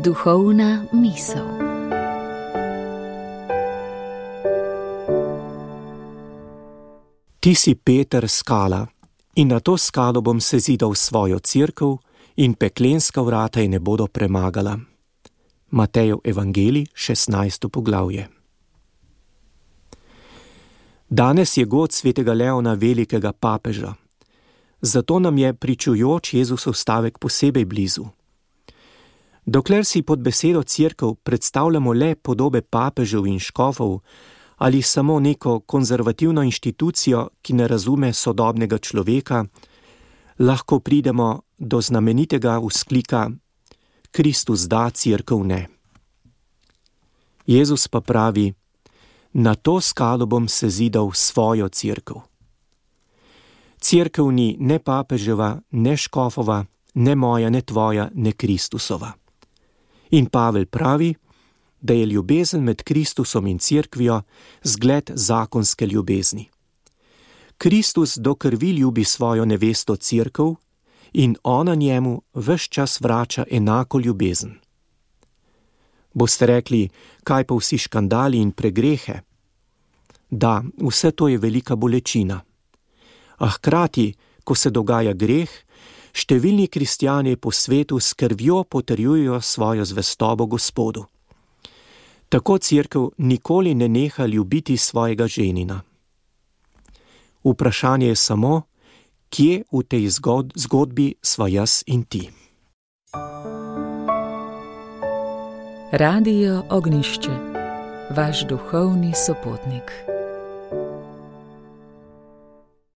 Duhovna misel. Ti si Peter, skala, in na to skalo bom sezidal svojo cerkev, in peklenska vrata je ne bodo premagala. Matejev evangelij, 16. poglavje. Danes je god svetega Leona Velikega papeža, zato nam je pričujoč Jezusov stavek posebej blizu. Dokler si pod besedo cerkev predstavljamo le podobe papežev in škofov ali samo neko konzervativno inštitucijo, ki ne razume sodobnega človeka, lahko pridemo do znamenitega vzklika Kristus da, cerkev ne. Jezus pa pravi: na to skalo bom sezidal svojo cerkev. Cerkev ni ne papeževa, ne škofova, ne moja, ne tvoja, ne Kristusova. In Pavel pravi, da je ljubezen med Kristusom in cerkvijo zgled zakonske ljubezni. Kristus do krvi ljubi svojo nevesto cerkev in ona njemu ves čas vrača enako ljubezen. Boste rekli, kaj pa vsi škandali in pregrehe? Da, vse to je velika bolečina. A hkrati, ko se dogaja greh, številni kristjani po svetu s krvjo potrjujejo svojo zvestobo Gospodu. Tako cerkev nikoli ne neha ljubiti svojega ženina. Vprašanje je samo, kje v tej zgodbi sva jaz in ti. Radio Ognjišče, vaš duhovni sopotnik.